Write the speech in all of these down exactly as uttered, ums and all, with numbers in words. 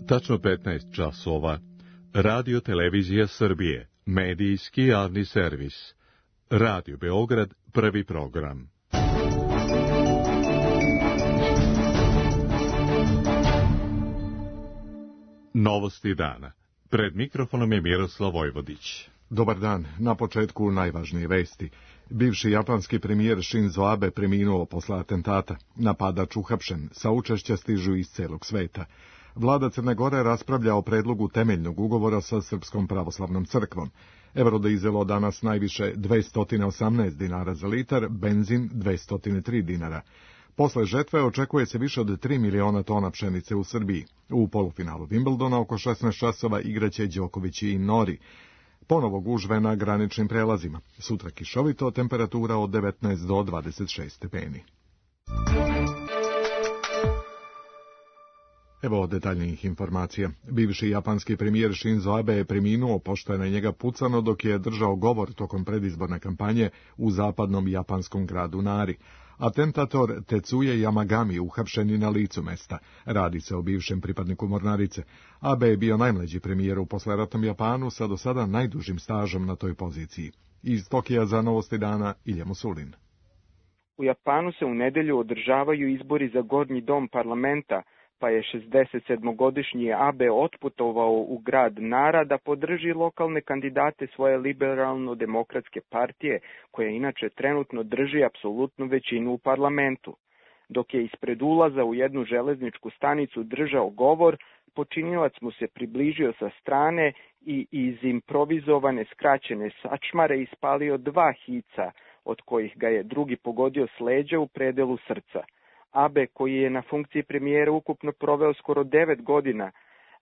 Tačno petnaest časova. Radio Televizija Srbije, medijski javni servis. Radio Beograd, prvi program. Novosti dana. Pred mikrofonom je Miroslav Vojvodić. Dobar dan. Na početku najvažnije vesti. Bivši japanski premijer Shinzo Abe preminuo posle atentata. Napadač uhapšen. Saučešća stižu iz celog sveta. Vlada Crne Gore raspravlja o predlogu temeljnog ugovora sa Srpskom pravoslavnom crkvom. Eurodizelo danas najviše dvesta osamnaest dinara za litar, benzin dvesta tri dinara. Posle žetve očekuje se više od tri miliona tona pšenice u Srbiji. U polufinalu Wimbledona oko šesnaest časova igraće Đoković i Nori. Ponovo gužve na graničnim prelazima. Sutra kišovito, temperatura od devetnaest do dvadeset šest stepeni. Evo detaljnijih informacija. Bivši japanski premijer Shinzo Abe je preminuo pošto je na njega pucano dok je držao govor tokom predizborne kampanje u zapadnom japanskom gradu Nari. Atentator Tetsuya Yamagami uhapšen je na licu mesta. Radi se o bivšem pripadniku mornarice. Abe je bio najmlađi premijer u posleratnom Japanu sa do sada najdužim stažom na toj poziciji. Iz Tokija za Novosti dana Ilja Musulin. U Japanu se u nedelju održavaju izbori za gornji dom parlamenta, pa je šezdesetsedmogodišnji Abe otputovao u grad Nara da podrži lokalne kandidate svoje liberalno-demokratske partije, koja inače trenutno drži apsolutnu većinu u parlamentu. Dok je ispred ulaza u jednu železničku stanicu držao govor, počinilac mu se približio sa strane i iz improvizovane skraćene sačmare ispalio dva hica, od kojih ga je drugi pogodio s leđa u predelu srca. Abe, koji je na funkciji premijera ukupno proveo skoro devet godina,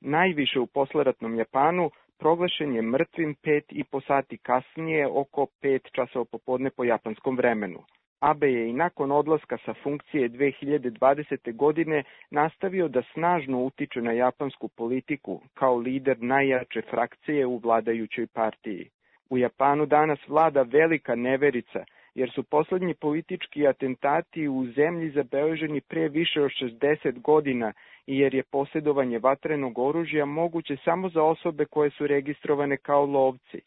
najviše u posleratnom Japanu, proglašen je mrtvim pet i po sati kasnije, oko pet časova popodne po japanskom vremenu. Abe je i nakon odlaska sa funkcije dve hiljade dvadesete. godine nastavio da snažno utiče na japansku politiku kao lider najjače frakcije u vladajućoj partiji. U Japanu danas vlada velika neverica, jer su poslednji politički atentati u zemlji zabeleženi pre više od šezdeset godina i jer je posjedovanje vatrenog oružja moguće samo za osobe koje su registrovane kao lovci.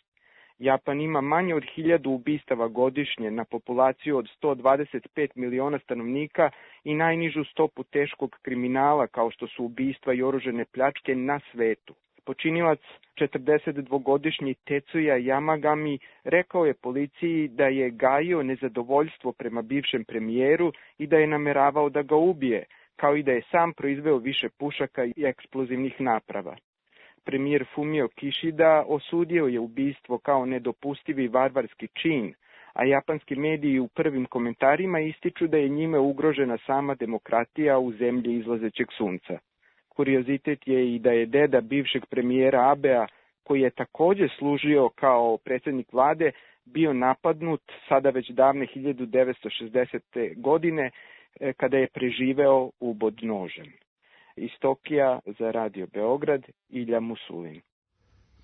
Japan ima manje od hiljadu ubistava godišnje na populaciju od sto dvadeset pet miliona stanovnika i najnižu stopu teškog kriminala kao što su ubistva i oružane pljačke na svetu. Počinilac, četrdesetdvogodišnji Tetsuya Yamagami, rekao je policiji da je gajio nezadovoljstvo prema bivšem premijeru i da je nameravao da ga ubije, kao i da je sam proizveo više pušaka i eksplozivnih naprava. Premijer Fumio Kishida osudio je ubistvo kao nedopustivi varvarski čin, a japanski mediji u prvim komentarima ističu da je njime ugrožena sama demokratija u zemlji izlazećeg sunca. Kuriozitet je i da je deda bivšeg premijera Abea, koji je također služio kao predsjednik vlade, bio napadnut sada već davne hiljadu devetsto šezdesete. godine, kada je preživeo ubod nožem. Iz Tokija za Radio Beograd, Ilja Musulin.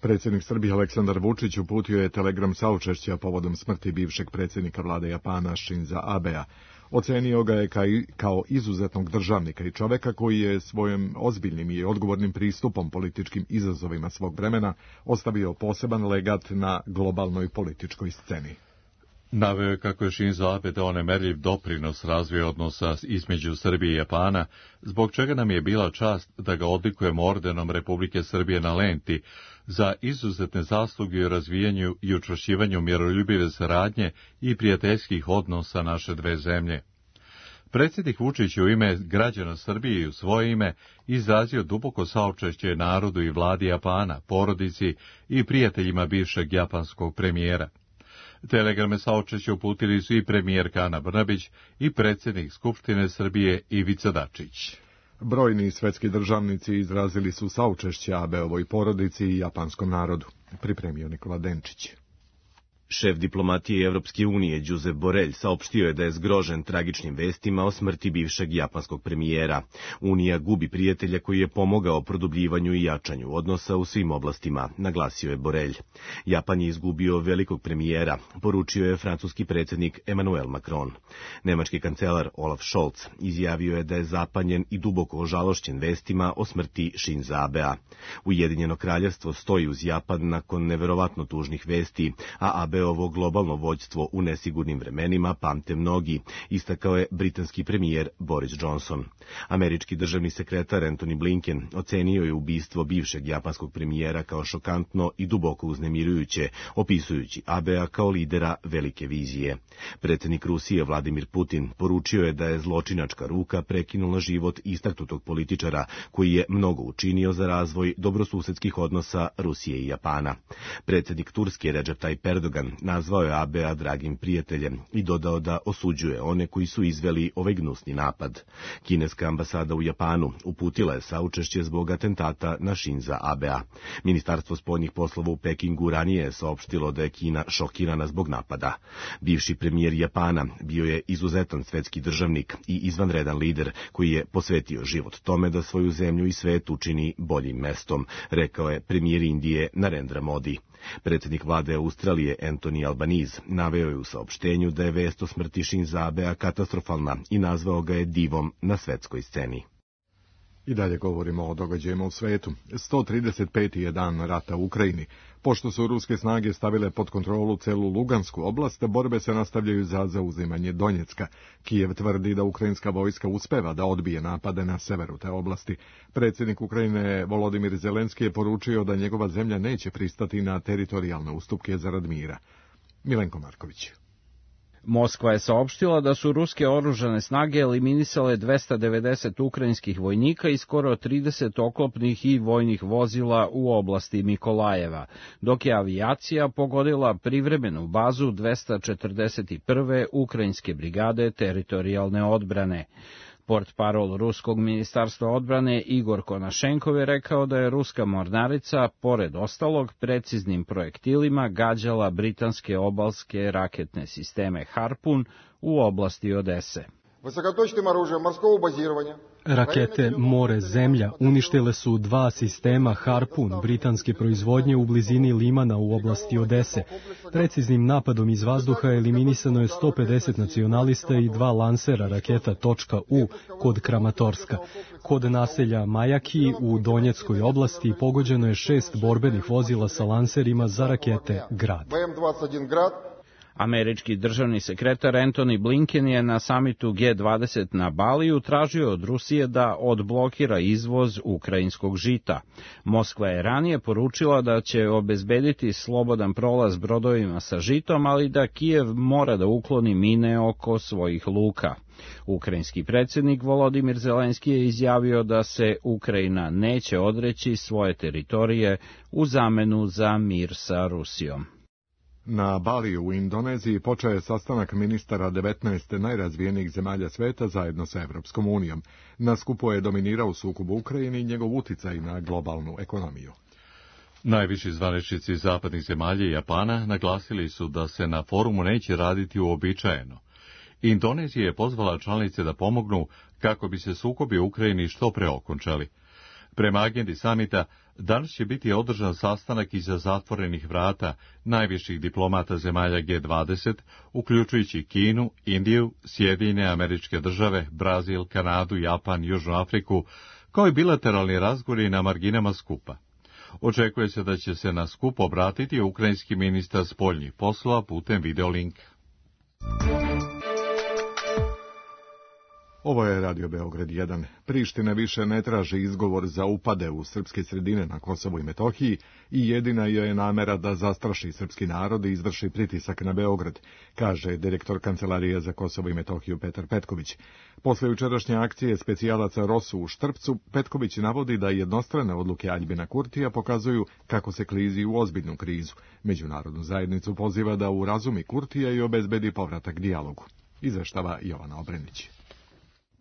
Predsjednik Srbije Aleksandar Vučić uputio je telegram saučešća povodom smrti bivšeg predsjednika vlade Japana Shinza Abea. Ocenio ga je kao izuzetnog državnika i čoveka koji je svojim ozbiljnim i odgovornim pristupom političkim izazovima svog vremena ostavio poseban legat na globalnoj političkoj sceni. Naveo je kako je Shinzo Abe dao nemerljiv doprinos razvoju odnosa između Srbije i Japana, zbog čega nam je bila čast da ga odlikujemo ordenom Republike Srbije na lenti za izuzetne zasluge u razvijanju i učvršćivanju miroljubive saradnje i prijateljskih odnosa naše dve zemlje. Predsjednik Vučić je u ime građana Srbije i u svoje ime izrazio duboko saučešće narodu i vladi Japana, porodici i prijateljima bivšeg japanskog premijera. Telegrame saučešća uputili su i premijerka Ana Brnabić i predsjednik Skupštine Srbije Ivica Dačić. Brojni svetski državnici izrazili su saučešće Abeovoj porodici i japanskom narodu, pripremio Nikola Denčić. Šef diplomatije Evropske unije Josep Borrell saopštio je da je zgrožen tragičnim vestima o smrti bivšeg japanskog premijera. Unija gubi prijatelja koji je pomogao produbljivanju i jačanju odnosa u svim oblastima, naglasio je Borrell. Japan je izgubio velikog premijera, poručio je francuski predsjednik Emmanuel Macron. Nemački kancelar Olaf Scholz izjavio je da je zapanjen i duboko ožalošćen vestima o smrti Shinza Abea. Ujedinjeno kraljevstvo stoji uz Japan nakon neverovatno tužnih vesti, a Abe ovo globalno vođstvo u nesigurnim vremenima pamte mnogi, istakao je britanski premijer Boris Johnson. Američki državni sekretar Antony Blinken ocenio je ubistvo bivšeg japanskog premijera kao šokantno i duboko uznemirujuće, opisujući Abea kao lidera velike vizije. Predsjednik Rusije Vladimir Putin poručio je da je zločinačka ruka prekinula život istaknutog političara koji je mnogo učinio za razvoj dobrosusedskih odnosa Rusije i Japana. Predsjednik Turske Recep Tayyip Erdogan nazvao je Abea dragim prijateljem i dodao da osuđuje one koji su izveli ovaj gnusni napad. Kineska ambasada u Japanu uputila je saučešće zbog atentata na Shinza Abea. Ministarstvo spoljnih poslova u Pekingu ranije je saopštilo da je Kina šokirana zbog napada. Bivši premijer Japana bio je izuzetan svetski državnik i izvanredan lider koji je posvetio život tome da svoju zemlju i svet učini boljim mestom, rekao je premijer Indije Narendra Modi. Predsjednik vlade Australije Anthony Albanese naveo je u saopštenju da je vest o smrti Shinza Abea katastrofalna i nazvao ga je divom na svetskoj sceni. I dalje govorimo o događajima u svetu. sto trideset peti je dan rata u Ukrajini. Pošto su ruske snage stavile pod kontrolu celu Lugansku oblast, borbe se nastavljaju za zauzimanje Donjecka. Kijev tvrdi da ukrajinska vojska uspeva da odbije napade na severu te oblasti. Predsjednik Ukrajine Volodimir Zelenski je poručio da njegova zemlja neće pristati na teritorijalne ustupke zarad mira. Milenko Marković. Moskva je saopštila da su ruske oružane snage eliminisale dvesta devedeset ukrajinskih vojnika i skoro trideset oklopnih i vojnih vozila u oblasti Mikolajeva, dok je avijacija pogodila privremenu bazu dvesta četrdeset prve ukrajinske brigade teritorijalne odbrane. Portparol ruskog ministarstva odbrane Igor Konašenkov je rekao da je ruska mornarica, pored ostalog, preciznim projektilima gađala britanske obalske raketne sisteme Harpun u oblasti Odese. Rakete more-zemlja uništile su dva sistema Harpun britanske proizvodnje u blizini Limana u oblasti Odese. Preciznim napadom iz vazduha eliminisano je sto pedeset nacionalista i dva lansera raketa .U kod Kramatorska. Kod naselja Majaki u Donjeckoj oblasti pogođeno je šest borbenih vozila sa lanserima za rakete Grad. Američki državni sekretar Antony Blinken je na samitu G dvadeset na Baliju tražio od Rusije da odblokira izvoz ukrajinskog žita. Moskva je ranije poručila da će obezbediti slobodan prolaz brodovima sa žitom, ali da Kijev mora da ukloni mine oko svojih luka. Ukrajinski predsjednik Volodimir Zelenski je izjavio da se Ukrajina neće odreći svoje teritorije u zamenu za mir sa Rusijom. Na Baliju u Indoneziji počeo je sastanak ministara devetnaest najrazvijenijih zemalja sveta zajedno sa Evropskom unijom. Na skupu je dominirao sukob u Ukrajini i njegov uticaj na globalnu ekonomiju. Najviši zvaničnici zapadnih zemalja i Japana naglasili su da se na forumu neće raditi uobičajeno. Indonezija je pozvala članice da pomognu kako bi se sukobi u Ukrajini što pre okončali. Prema agendi samita, danas će biti održan sastanak iza zatvorenih vrata najviših diplomata zemalja G dvadeset, uključujući Kinu, Indiju, Sjedinjene Američke Države, Brazil, Kanadu, Japan, Južnu Afriku, kao i bilateralni razgovori na marginama skupa. Očekuje se da će se na skup obratiti ukrajinski ministar spoljnih poslova putem videolinka. Ovo je Radio Beograd jedan. Priština više ne traži izgovor za upade u srpske sredine na Kosovu i Metohiji i jedina joj je namera da zastraši srpski narod i izvrši pritisak na Beograd, kaže direktor Kancelarije za Kosovo i Metohiju Petar Petković. Posle jučerašnje akcije specijalaca Rosu u Štrpcu, Petković navodi da jednostrane odluke Aljbina Kurtija pokazuju kako se klizi u ozbiljnu krizu. Međunarodnu zajednicu poziva da urazumi Kurtija i obezbedi povratak dijalogu. Izveštava Jovana Obrenić.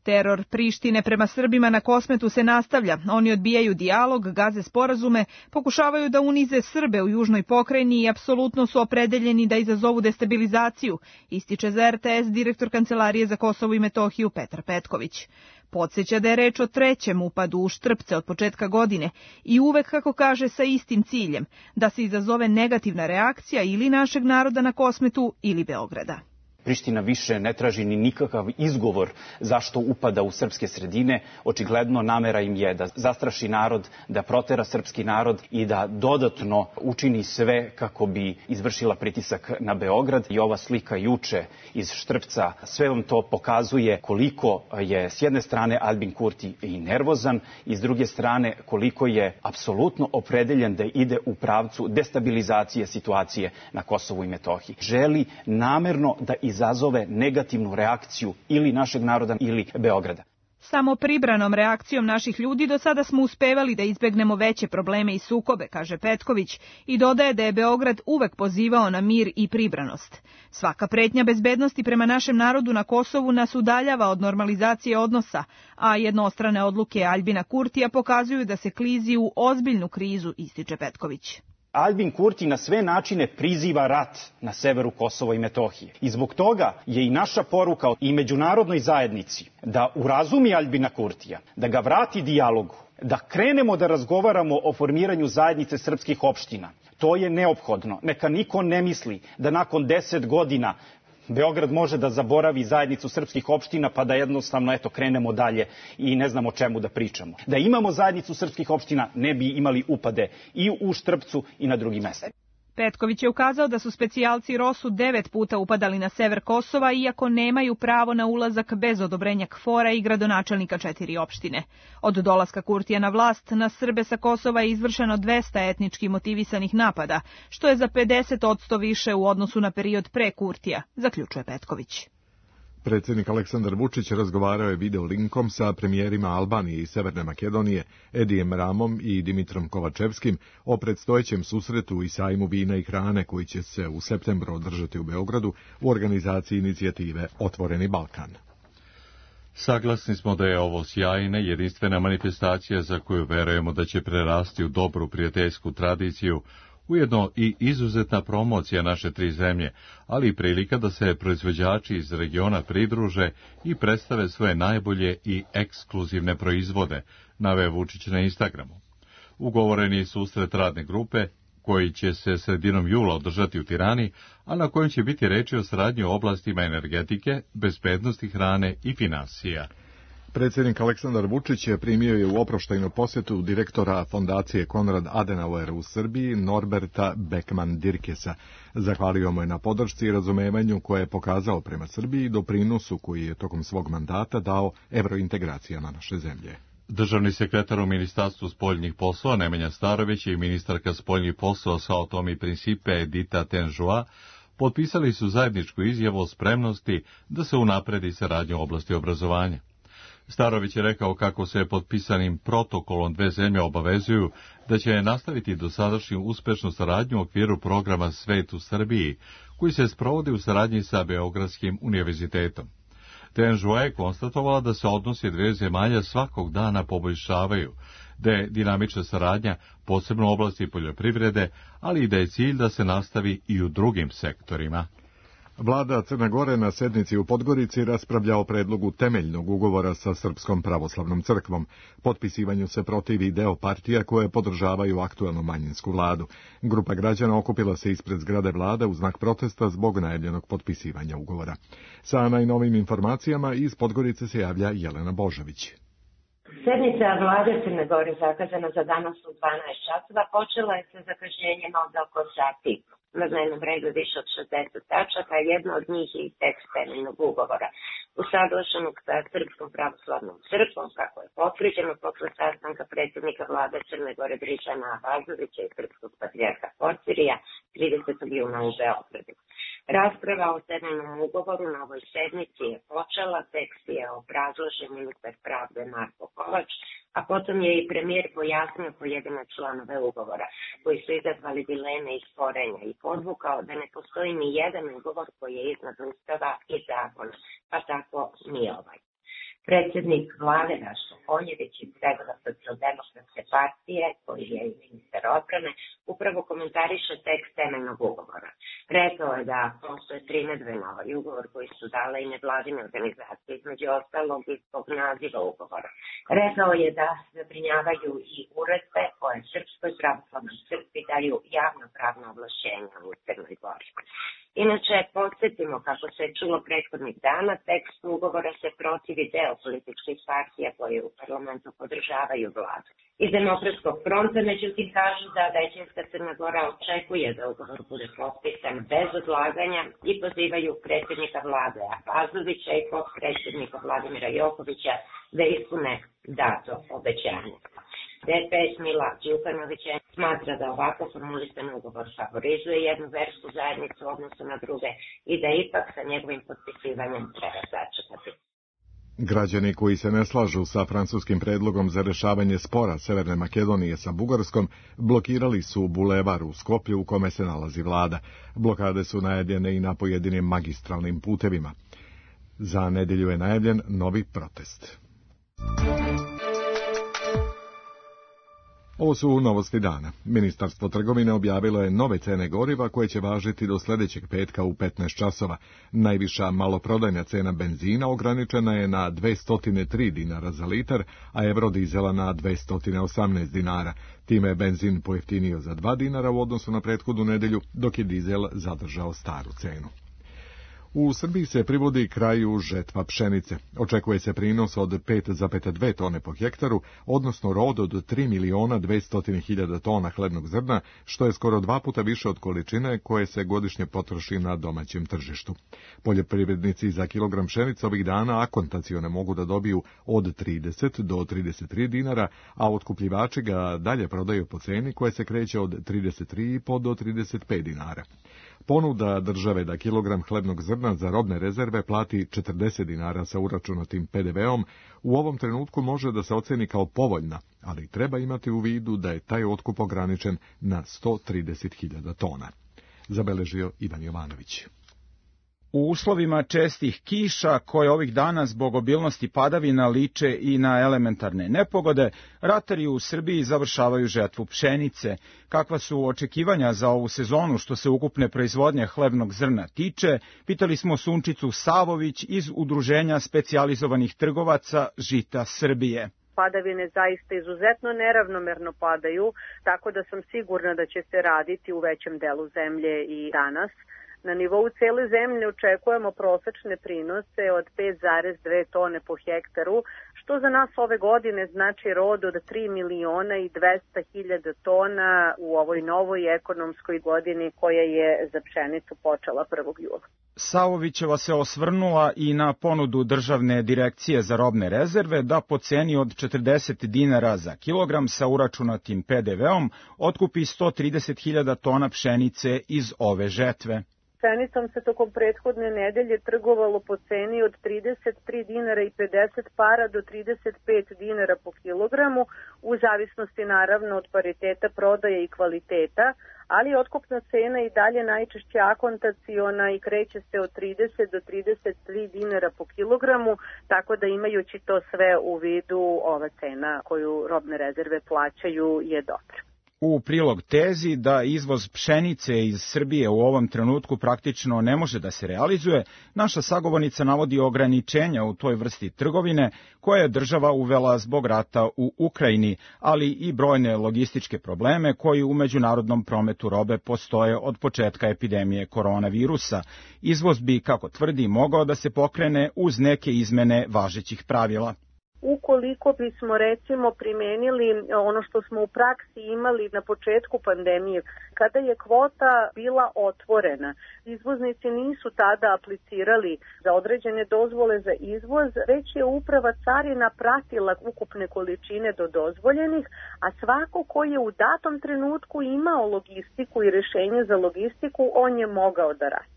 Teror Prištine prema Srbima na Kosmetu se nastavlja. Oni odbijaju dijalog, gaze sporazume, pokušavaju da unize Srbe u južnoj pokrajini i apsolutno su opredeljeni da izazovu destabilizaciju, ističe za R T S direktor Kancelarije za Kosovo i Metohiju Petar Petković. Podsjeća da je reč o trećem upadu u Štrpce od početka godine i uvek, kako kaže, sa istim ciljem, da se izazove negativna reakcija ili našeg naroda na Kosmetu ili Beograda. Priština više ne traži ni nikakav izgovor zašto upada u srpske sredine. Očigledno namera im je da zastraši narod, da protera srpski narod i da dodatno učini sve kako bi izvršila pritisak na Beograd. I ova slika juče iz Štrpca, sve vam to pokazuje koliko je s jedne strane Albin Kurti i nervozan i s druge strane koliko je apsolutno opredeljen da ide u pravcu destabilizacije situacije na Kosovu i Metohiji. Želi namerno da izazove negativnu reakciju ili našeg naroda ili Beograda. Samo pribranom reakcijom naših ljudi do sada smo uspevali da izbegnemo veće probleme i sukobe, kaže Petković, i dodaje da je Beograd uvek pozivao na mir i pribranost. Svaka pretnja bezbednosti prema našem narodu na Kosovu nas udaljava od normalizacije odnosa, a jednostrane odluke Albina Kurtija pokazuju da se klizi u ozbiljnu krizu, ističe Petković. Albin Kurti na sve načine priziva rat na severu Kosova i Metohije. I zbog toga je i naša poruka i međunarodnoj zajednici da urazumi Albina Kurtija, da ga vrati dijalogu, da krenemo da razgovaramo o formiranju zajednice srpskih opština. To je neophodno. Neka niko ne misli da nakon deset godina Beograd može da zaboravi zajednicu srpskih opština pa da jednostavno eto krenemo dalje i ne znamo o čemu da pričamo. Da imamo zajednicu srpskih opština ne bi imali upade i u Štrpcu i na drugim mestima. Petković je ukazao da su specijalci Rosu devet puta upadali na sever Kosova, iako nemaju pravo na ulazak bez odobrenja K F O R-a i gradonačelnika četiri opštine. Od dolaska Kurtija na vlast, na Srbe sa Kosova je izvršeno dvesta etnički motivisanih napada, što je za pedeset posto više u odnosu na period pre Kurtija, zaključuje Petković. Predsjednik Aleksandar Vučić razgovarao je video linkom sa premijerima Albanije i Severne Makedonije, Edijem Ramom i Dimitrom Kovačevskim o predstojećem susretu i sajmu vina i hrane koji će se u septembru održati u Beogradu u organizaciji inicijative Otvoreni Balkan. Saglasni smo da je ovo sjajna, jedinstvena manifestacija za koju verujemo da će prerasti u dobru prijateljsku tradiciju, ujedno i izuzetna promocija naše tri zemlje, ali i prilika da se proizvođači iz regiona pridruže i predstave svoje najbolje i ekskluzivne proizvode, naveo Vučić na Instagramu. Ugovoreni je susret radne grupe, koji će se sredinom jula održati u Tirani, a na kojem će biti reči o saradnji u oblastima energetike, bezbednosti hrane i finansija. Predsjednik Aleksandar Vučić je primio je u oproštajnu posjetu direktora fondacije Konrad Adenauer u Srbiji, Norberta Beckman-Dirkesa. Zahvalio mu je na podršci i razumevanju koje je pokazao prema Srbiji i doprinosu koji je tokom svog mandata dao evrointegracijama naše zemlje. Državni sekretar u Ministarstvu spoljnih poslova Nemanja Starović i ministarka spoljnih poslova Sao Tome i Principe Edita Tenžua potpisali su zajedničku izjavu o spremnosti da se unapredi saradnja u oblasti obrazovanja. Starović je rekao kako se potpisanim protokolom dve zemlje obavezuju da će nastaviti dosadašnju uspešnu saradnju u okviru programa Svet u Srbiji, koji se sprovodi u saradnji sa Beogradskim univerzitetom. Tenžua je konstatovala da se odnosi dve zemalja svakog dana poboljšavaju, da je dinamična saradnja posebno u oblasti poljoprivrede, ali i da je cilj da se nastavi i u drugim sektorima. Vlada Crne Gore na sednici u Podgorici raspravlja o predlogu temeljnog ugovora sa Srpskom pravoslavnom crkvom. Potpisivanju se protivi deo partija koje podržavaju aktuelnu manjinsku vladu. Grupa građana okupila se ispred zgrade vlade u znak protesta zbog najavljenog potpisivanja ugovora. Sa najnovim informacijama iz Podgorice se javlja Jelena Božović. Sednica vlade Crne Gore zakazana za danas u dvanaest časova počela je sa zakašnjenjem od oko sati. Na dnevnom redu više od šezdeset tačaka, jedna od njih je i tekst temeljnog ugovora, usaglašenog sa Srpskom pravoslavnom crkvom, kako je potvrđeno posle sastanka predsjednika vlade Crne Gore Dričana Abazovića i Srpskog patrijarha Porfirija tridesetog juna u Beogradu. Rasprava o temeljnom ugovoru na ovoj sednici je počela, tekst je obrazložen ministar pravde Marko Kovač, a potom je i premijer pojasnio pojedine članove ugovora, koji su izazvali dileme i sporenja i podvukao da ne postoji ni jedan ugovor koji je iznad Ustava i zakona, pa tako ni ovaj. Predsjednik vlade Rašo Konjević iz redova Socijaldemokratske partije, koji je i ministar odbrane, upravo komentariše tekst temeljnog ugovora. Rekao je da postoje primedbe na ovaj ugovor koji su dale i nevladine organizacije, između ostalog i zbog naziva ugovora. Rekao je da zabrinjavaju i uredbe koje Srpskoj pravoslavnoj crkvi daju javno pravno ovlašćenja u Crnoj Gori. Inače, podsjetimo kako se čulo prethodnih dana, tekst ugovora se protivi deo političkih partija koje u parlamentu podržavaju vladu. Iz Demokratskog fronta, međutim, kažu da većinska Crna Gora očekuje da ugovor bude potpisan bez odlaganja i pozivaju predsjednika vlade Abazovića i potpredsjednika Vladimira Jokovića da ispune dato obećanje. D P S Mila Đukanovića smatra da ovako formulisan ugovor favorizuje jednu versku zajednicu u odnosu na druge i da ipak sa njegovim potpisivanjem treba začekati. Građani koji se ne slažu sa francuskim predlogom za rešavanje spora Severne Makedonije sa Bugarskom blokirali su bulevar u Skoplju u kome se nalazi vlada. Blokade su najavljene i na pojedinim magistralnim putevima. Za nedelju je najavljen novi protest. Ovo su novosti dana. Ministarstvo trgovine objavilo je nove cene goriva koje će važiti do sljedećeg petka u petnaest časova. Najviša maloprodajna cena benzina ograničena je na dvesta tri dinara za litar, a Eurodizela na dvesta osamnaest dinara. Time je benzin pojeftinio za dva dinara u odnosu na prethodnu nedelju, dok je dizel zadržao staru cenu. U Srbiji se privodi kraju žetva pšenice. Očekuje se prinos od pet zarez dve tone po hektaru, odnosno rod od tri miliona dvesta hiljada tona hlebnog zrna, što je skoro dva puta više od količine koje se godišnje potroši na domaćem tržištu. Poljoprivrednici za kilogram pšenice ovih dana akontacione mogu da dobiju od trideset do trideset tri dinara, a otkupljivači ga dalje prodaju po ceni koja se kreće od trideset tri i po do trideset pet dinara. Ponuda države da kilogram hlebnog zrna za robne rezerve plati četrdeset dinara sa uračunatim P D V-om u ovom trenutku može da se oceni kao povoljna, ali treba imati u vidu da je taj otkup ograničen na sto trideset hiljada tona. Zabeležio Ivan Jovanović. U uslovima čestih kiša, koje ovih dana zbog obilnosti padavina liče i na elementarne nepogode, ratari u Srbiji završavaju žetvu pšenice. Kakva su očekivanja za ovu sezonu što se ukupne proizvodnje hlebnog zrna tiče, pitali smo Sunčicu Savović iz Udruženja specijalizovanih trgovaca Žita Srbije. Padavine zaista izuzetno neravnomerno padaju, tako da sam sigurna da će se raditi u većem delu zemlje i danas. Na nivou cele zemlje očekujemo prosečne prinose od pet zarez dve tone po hektaru, što za nas ove godine znači rod od tri miliona i dvesta hiljada tona u ovoj novoj ekonomskoj godini koja je za pšenicu počela prvog jula. Savovićeva se osvrnula i na ponudu Državne direkcije za robne rezerve da po ceni od četrdeset dinara za kilogram sa uračunatim P D V-om otkupi sto trideset hiljada tona pšenice iz ove žetve. Pšenicom se tokom prethodne nedelje trgovalo po ceni od trideset tri dinara i pedeset para do trideset pet dinara po kilogramu, u zavisnosti naravno od pariteta prodaje i kvaliteta, ali otkupna cena i dalje najčešće akontaciona i kreće se od trideset do trideset tri dinara po kilogramu, tako da imajući to sve u vidu, ova cena koju robne rezerve plaćaju je dobra. U prilog tezi da izvoz pšenice iz Srbije u ovom trenutku praktično ne može da se realizuje, naša sagovornica navodi ograničenja u toj vrsti trgovine koje je država uvela zbog rata u Ukrajini, ali i brojne logističke probleme koji u međunarodnom prometu robe postoje od početka epidemije koronavirusa. Izvoz bi, kako tvrdi, mogao da se pokrene uz neke izmene važećih pravila. Ukoliko bismo recimo primenili ono što smo u praksi imali na početku pandemije, kada je kvota bila otvorena, izvoznici nisu tada aplicirali za određene dozvole za izvoz, već je uprava carina pratila ukupne količine do dozvoljenih, a svako ko je u datom trenutku imao logistiku i rešenje za logistiku, on je mogao da radi.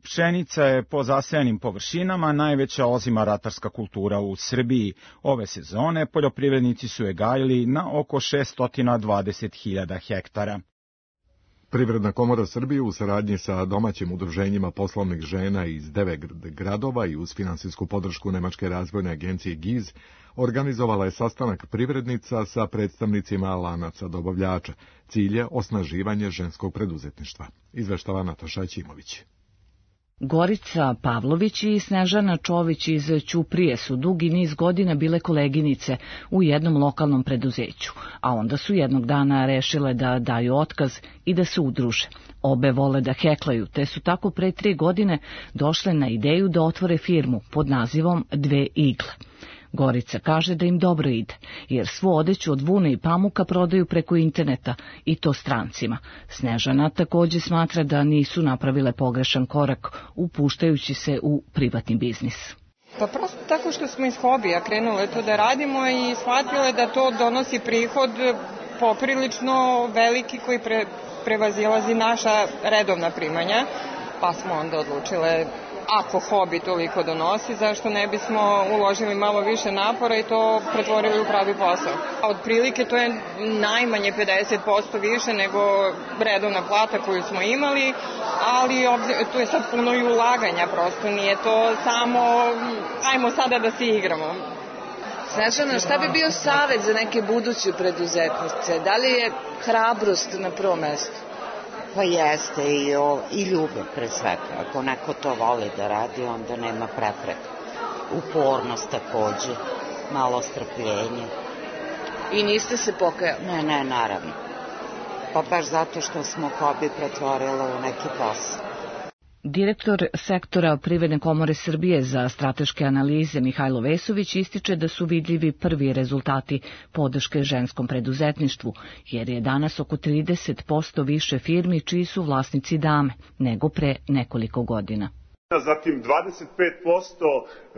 Pšenica je po zasejanim površinama najveća ozima ratarska kultura u Srbiji. Ove sezone poljoprivrednici su je gajili na oko šesto dvadeset hiljada hektara. Privredna komora Srbije u saradnji sa domaćim udruženjima poslovnih žena iz devet gradova i uz finansijsku podršku Nemačke razvojne agencije G I Z organizovala je sastanak privrednica sa predstavnicima lanaca dobavljača. Cilj je osnaživanje ženskog preduzetništva. Izveštava Nataša Ćimović. Gorica Pavlović i Snežana Čović iz Ćuprije su dugi niz godina bile koleginice u jednom lokalnom preduzeću, a onda su jednog dana rešile da daju otkaz i da se udruže. Obe vole da heklaju, te su tako pre tri godine došle na ideju da otvore firmu pod nazivom Dve igle. Gorica kaže da im dobro ide, jer svu odeću od vune i pamuka prodaju preko interneta i to strancima. Snežana takođe smatra da nisu napravile pogrešan korak upuštajući se u privatni biznis. Pa prosto tako što smo iz hobija krenule to da radimo i shvatile da to donosi prihod poprilično veliki koji pre, prevazilazi naša redovna primanja, pa smo onda odlučile ako hobi toliko donosi, zašto ne bismo uložili malo više napora i to pretvorili u pravi posao. Od prilike to je najmanje pedeset posto više nego redovna plata koju smo imali, ali tu je sad puno i ulaganja, prosto nije to samo ajmo sada da se igramo. Snežana, šta bi bio savjet za neke buduće preduzetnice? Da li je hrabrost na prvom mestu? Pa jeste i, o, i ljubav pre svega. Ako neko to voli da radi, onda nema prepreka. Upornost takođe, malo strpljenje. I niste se pokajali? Ne, ne, naravno. Pa baš zato što smo hobi pretvorili u neki posao. Direktor sektora Privredne komore Srbije za strateške analize Mihajlo Vesović ističe da su vidljivi prvi rezultati podrške ženskom preduzetništvu, jer je danas oko trideset posto više firmi čiji su vlasnici dame nego pre nekoliko godina. Zatim dvadeset pet posto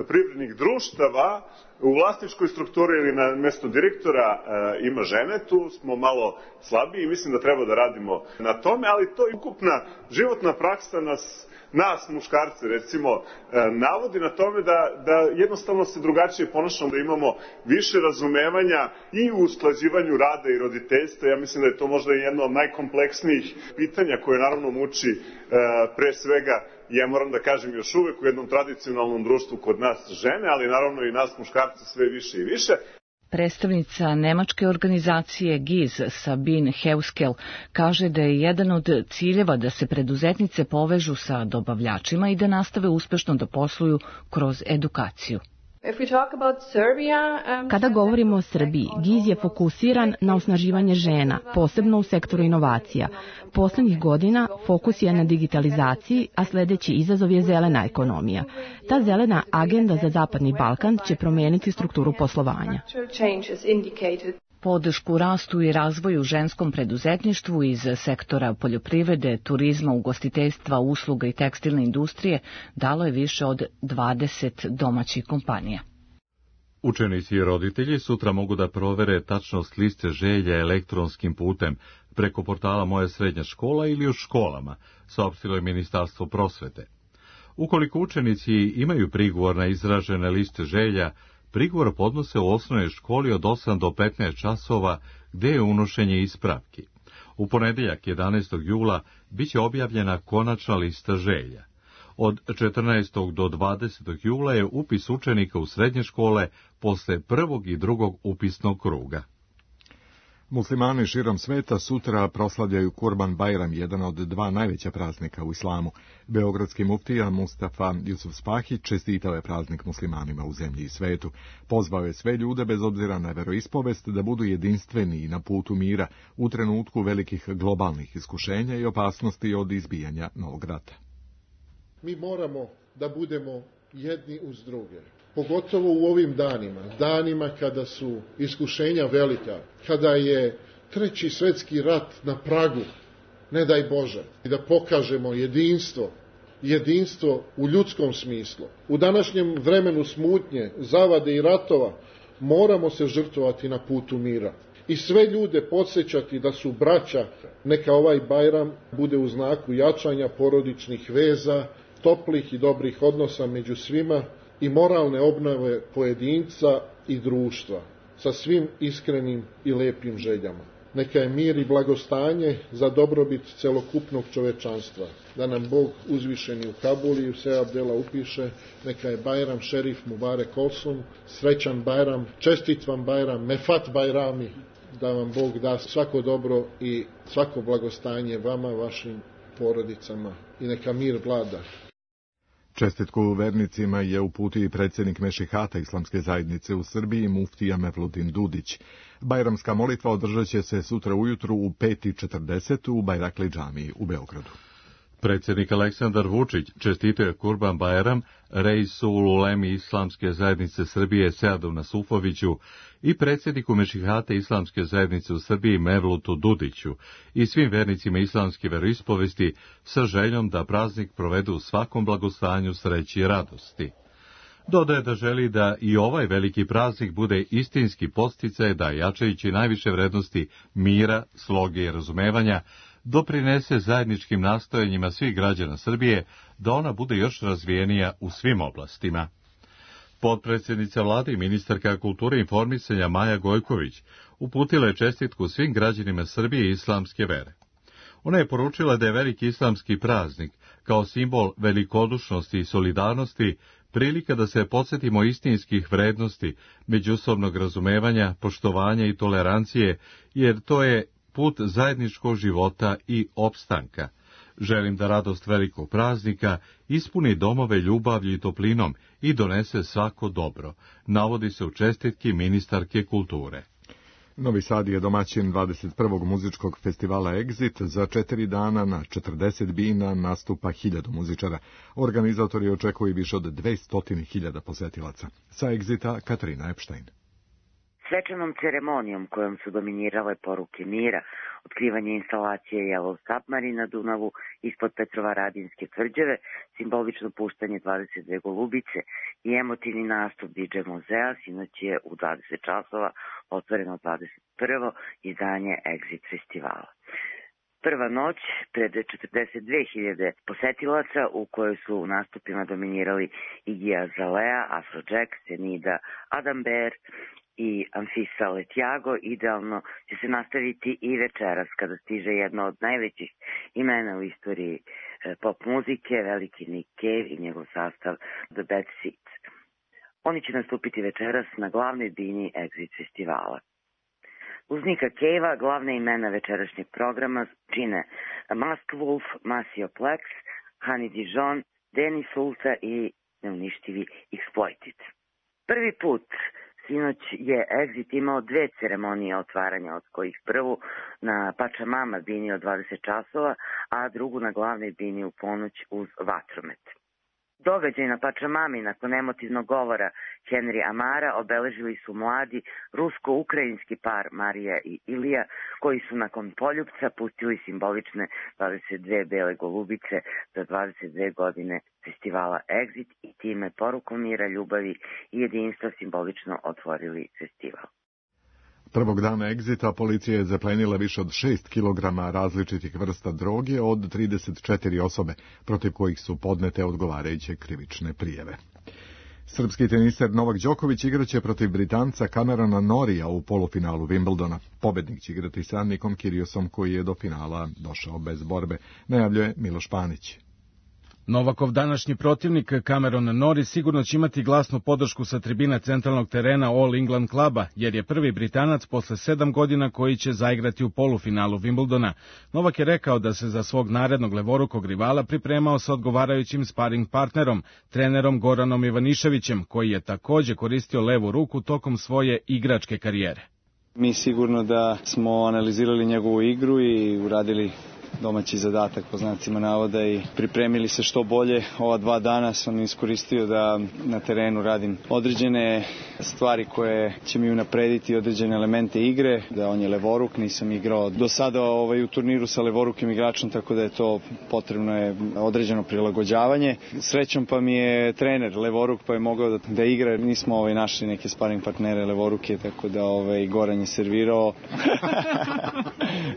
privrednih društava u vlasničkoj strukturi ili na mesto direktora e, ima žene, tu smo malo slabiji i mislim da treba da radimo na tome, ali to je ukupna životna praksa nas, nas muškarce recimo, e, navodi na tome da, da jednostavno se drugačije ponašamo, da imamo više razumevanja i u usklađivanju rada i roditeljstva. Ja mislim da je to možda jedno od najkompleksnijih pitanja koje naravno muči e, pre svega, ja moram da kažem još uvek u jednom tradicionalnom društvu kod nas žene, ali naravno i nas muškarci sve više i više. Predstavnica nemačke organizacije G I Z Sabine Heuskel kaže da je jedan od ciljeva da se preduzetnice povežu sa dobavljačima i da nastave uspešno da posluju kroz edukaciju. Kada govorimo o Srbiji, G I Z je fokusiran na osnaživanje žena, posebno u sektoru inovacija. Poslednjih godina fokus je na digitalizaciji, a sledeći izazov je zelena ekonomija. Ta zelena agenda za Zapadni Balkan će promeniti strukturu poslovanja. Podršku rastu i razvoju ženskom preduzetništvu iz sektora poljoprivrede, turizma, ugostiteljstva, usluga i tekstilne industrije dalo je više od dvadeset domaćih kompanija. Učenici i roditelji sutra mogu da provere tačnost liste želja elektronskim putem preko portala Moja srednja škola ili u školama, saopštilo je Ministarstvo prosvete. Ukoliko učenici imaju prigovor na izražene liste želja, prigovor podnose u osnovnoj školi od osam do petnaest časova, gde je unošenje ispravki. U ponedeljak jedanaestog jula biće objavljena konačna lista želja. Od četrnaestog do dvadesetog jula je upis učenika u srednje škole posle prvog i drugog upisnog kruga. Muslimani širom sveta sutra proslavljaju Kurban Bajram, jedan od dva najveća praznika u islamu. Beogradski muftija Mustafa Jusuf Spahić čestitao je praznik muslimanima u zemlji i svetu. Pozvao je sve ljude, bez obzira na veroispovest, da budu jedinstveni na putu mira u trenutku velikih globalnih iskušenja i opasnosti od izbijanja novog rata. Mi moramo da budemo jedni uz druge. Pogotovo u ovim danima, danima kada su iskušenja velika, kada je treći svetski rat na pragu, ne daj Bože, i da pokažemo jedinstvo, jedinstvo u ljudskom smislu. U današnjem vremenu smutnje, zavade i ratova moramo se žrtvovati na putu mira i sve ljude podsjećati da su braća. Neka ovaj Bajram bude u znaku jačanja porodičnih veza, toplih i dobrih odnosa među svima i moralne obnove pojedinca i društva sa svim iskrenim i lepim željama. neka je mir i blagostanje za dobrobit celokupnog čovečanstva. Da nam Bog uzvišeni u Kabuli i u sve Abdela upiše, neka je Bajram Šerif Mubarek Olsun, srećan Bajram, čestit vam Bajram, Mefat Bajrami, da vam Bog da svako dobro i svako blagostanje vama, vašim porodicama i neka mir vlada. Čestitku vernicima je uputio i predsjednik Mešihata Islamske zajednice u Srbiji, muftija Mevludin Dudić. Bajramska molitva održat će se sutra ujutru u pet i četrdeset u Bajrakli džamiji u Beogradu. Predsjednik Aleksandar Vučić čestitio je Kurban Bajram reisu ulemi Islamske zajednice Srbije Seadu Nasufoviću i predsjedniku Mešihata Islamske zajednice u Srbiji Mevlutu Dudiću i svim vernicima islamske veroispovesti sa željom da praznik provedu u svakom blagostanju, sreći i radosti. Dodaje da želi da i ovaj veliki praznik bude istinski podsticaj da, jačajući najviše vrednosti mira, sloge i razumevanja, doprinese zajedničkim nastojanjima svih građana Srbije da ona bude još razvijenija u svim oblastima. Potpredsjednica vlade i ministarka kulture i informisanja Maja Gojković uputila je čestitku svim građanima Srbije i islamske vere. Ona je poručila da je veliki islamski praznik, kao simbol velikodušnosti i solidarnosti, prilika da se podsjetimo istinskih vrednosti, međusobnog razumevanja, poštovanja i tolerancije, jer to je put zajedničkog života i opstanka. Želim da radost velikog praznika ispuni domove ljubavlju i toplinom i donese svako dobro, navodi se u čestitki ministarke kulture. Novi Sad je domaćin dvadeset prvog muzičkog festivala Exit. Za četiri dana na četrdeset bina nastupa hiljadu muzičara. Organizatori očekuju više od dvesta hiljada posetilaca. Sa Exita Katarina Epštajn. Svečanom ceremonijom kojom su dominirale poruke mira, otkrivanje instalacije Yellow Submarine na Dunavu ispod Petrovaradinske tvrđave, simbolično puštanje dvadeset dve golubice i emotivni nastup D J Muzea, sinoć je u dvadeset časova otvoreno dvadeset prvo izdanje Exit festivala. Prva noć pred četrdeset dve hiljade posetilaca u kojoj su u nastupima dominirali Iggy Azalea, Afrojack, Senida, Adam Bear i Anfisa Letjago, idealno će se nastaviti i večeras kada stiže jedno od najvećih imena u istoriji pop muzike, veliki Nick Cave i njegov sastav The Bad Seeds. Oni će nastupiti večeras na glavnoj bini Exit festivala. Uz Nicka Cavea glavne imena večerašnjeg programa čine Mask Wolf, Maceo Plex, Honey Dijon, Danny Sulta i neuništivi Exploited. Prvi put sinoć je Exit imao dve ceremonije otvaranja, od kojih prvu na Pačamama bini od dvadeset časova, a drugu na glavnoj bini u ponoć uz vatromet. Događaj na Pačamami nakon emotivnog govora Henry Amara obeležili su mladi rusko-ukrajinski par Marija i Ilija, koji su nakon poljupca pustili simbolične dvadeset dve bele golubice za dvadeset dve godine festivala Exit i time porukom mira, ljubavi i jedinstva simbolično otvorili festival. Prvog dana Exita policija je zaplenila više od šest kilograma različitih vrsta droge od trideset četiri osobe, protiv kojih su podnete odgovarajuće krivične prijave. Srpski teniser Novak Đoković igraće protiv Britanca Camerona Norrija u polufinalu Wimbledona. Pobednik će igrati sa Nikom Kyriosom, koji je do finala došao bez borbe, najavljuje Miloš Panić. Novakov današnji protivnik Cameron Norrie sigurno će imati glasnu podršku sa tribina centralnog terena All England kluba, jer je prvi Britanac posle sedam godina koji će zaigrati u polufinalu Wimbledona. Novak je rekao da se za svog narednog levorukog rivala pripremao sa odgovarajućim sparing partnerom, trenerom Goranom Ivaniševićem, koji je takođe koristio levu ruku tokom svoje igračke karijere. Mi sigurno da smo analizirali njegovu igru i uradili domaći zadatak po znacima navoda i pripremili se što bolje. Ova dva dana sam iskoristio da na terenu radim određene stvari koje će mi unaprediti određene elemente igre, da on je levoruk, nisam igrao do sada ovaj, u turniru sa levorukim igračom, tako da je to potrebno je određeno prilagođavanje. Srećom pa mi je trener levoruk pa je mogao da, da igra, nismo ovaj, našli neke sparing partnere levoruke, tako da ovaj, Goran je servirao.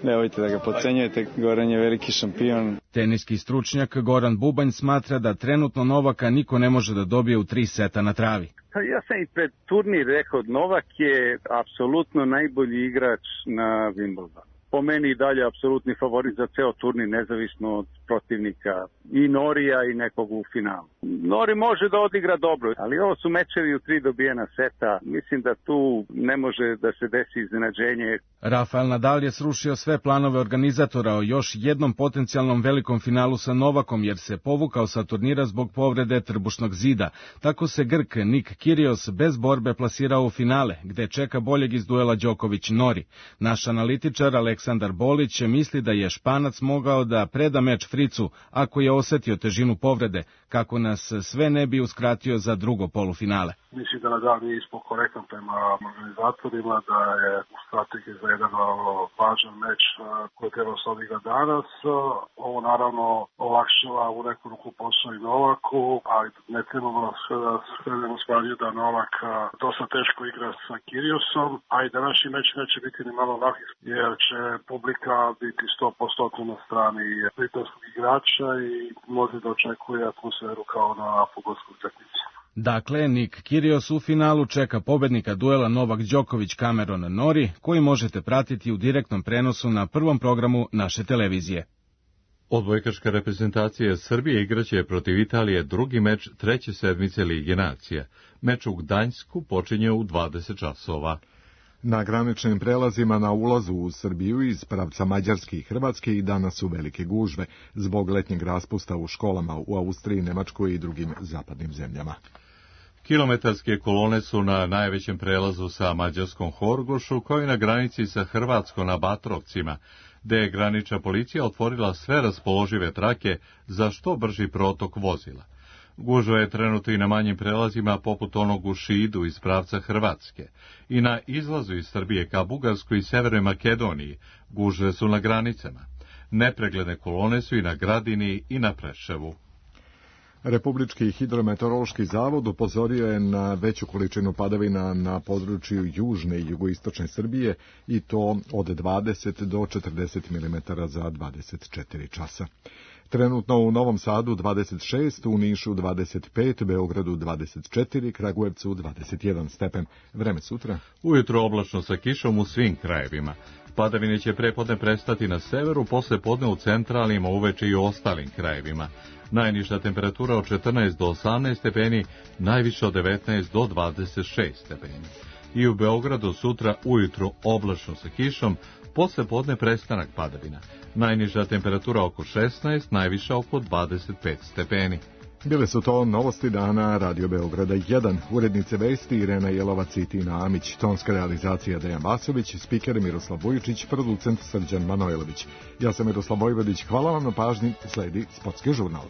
Nemojte da ga podcenjujete, Goran je veliki šampion. Teniski stručnjak Goran Bubanj smatra da trenutno Novaka niko ne može da dobije u tri seta na travi. Pa ja sam i pred turnir rekao, Novak je apsolutno najbolji igrač na Wimbledonu. Po meni i dalje apsolutni favorit za ceo turnir, nezavisno od protivnika i Norija i nekog u finalu. Nori može da odigra dobro, ali ovo su mečevi u tri dobijena seta. Mislim da tu ne može da se desi iznenađenje. Rafael Nadal je srušio sve planove organizatora o još jednom potencijalnom velikom finalu sa Novakom, jer se povukao sa turnira zbog povrede trbušnog zida. Tako se Grk Nik Kyrgios bez borbe plasirao u finale, gde čeka boljeg iz duela Đoković-Nori. Naš analitičar Aleksandar Bolić misli da je Španac mogao da preda meč Fricu ako je osetio težinu povrede, kako nas sve ne bi uskratio za drugo polufinale. Mislim da Nadal nije ispod korektan prema organizatorima, da je u strategiji za jedan važan meč koji treba se odigra danas. Ovo naravno olakšava u neku ruku posao i Novaku, ali ne trebamo da skrenemo s pažnje da Novak dosta teško igra sa Kyrgiosom, a i današnji meč neće biti ni malo lak, jer će publika biti sto posto na strani britanskog igrača i može da očekuje atmosferu kao na fudbalskoj utakmici. Dakle, Nik Kyrgios u finalu čeka pobednika duela Novak Đoković-Cameron Norrie, koji možete pratiti u direktnom prenosu na prvom programu naše televizije. Odbojkaška reprezentacija Srbije igraće protiv Italije drugi meč treće sedmice Lige nacija. Meč u Gdańsku počinje u dvadeset časova. Na graničnim prelazima na ulazu u Srbiju iz pravca Mađarske i Hrvatske i danas su velike gužve zbog letnjeg raspusta u školama u Austriji, Nemačkoj i drugim zapadnim zemljama. Kilometarske kolone su na najvećem prelazu sa mađarskom Horgošu, kao i na granici sa Hrvatskom na Batrovcima, gde je granična policija otvorila sve raspoložive trake za što brži protok vozila. Gužva je trenutno i na manjim prelazima poput onog u Šidu iz pravca Hrvatske i na izlazu iz Srbije ka Bugarskoj i Severnoj Makedoniji. Gužve su na granicama. Nepregledne kolone su i na Gradini i na Preševu. Republički hidrometeorološki zavod upozorio je na veću količinu padavina na području južne i jugoistočne Srbije i to od dvadeset do četrdeset milimetara za dvadeset četiri časa. Trenutno u Novom Sadu dvadeset šest, u Nišu dvadeset pet, Beogradu dvadeset četiri, Kragujevcu dvadeset jedan stepen. Vreme sutra? Ujutro oblačno sa kišom u svim krajevima. Padavine će prepodne prestati na severu, posle podne u centralnim, a uveče i u ostalim krajevima. Najniža temperatura od četrnaest do osamnaest stepeni, najviša od devetnaest do dvadeset šest stepeni. I u Beogradu sutra ujutro oblačno sa kišom, posle podne prestanak padavina. Najniža temperatura oko šesnaest, najviša oko dvadeset pet stepeni. Bile su to novosti dana Radio Beograda jedan. Urednice vesti Irena Jelovac i Tina Amić, tonska realizacija Dejan Vasović, spiker Miroslav Vujičić, producent Srđan Manojlović. Ja sam Miroslav Vojvodić, hvala vam na pažnji, sledi Sportski žurnal.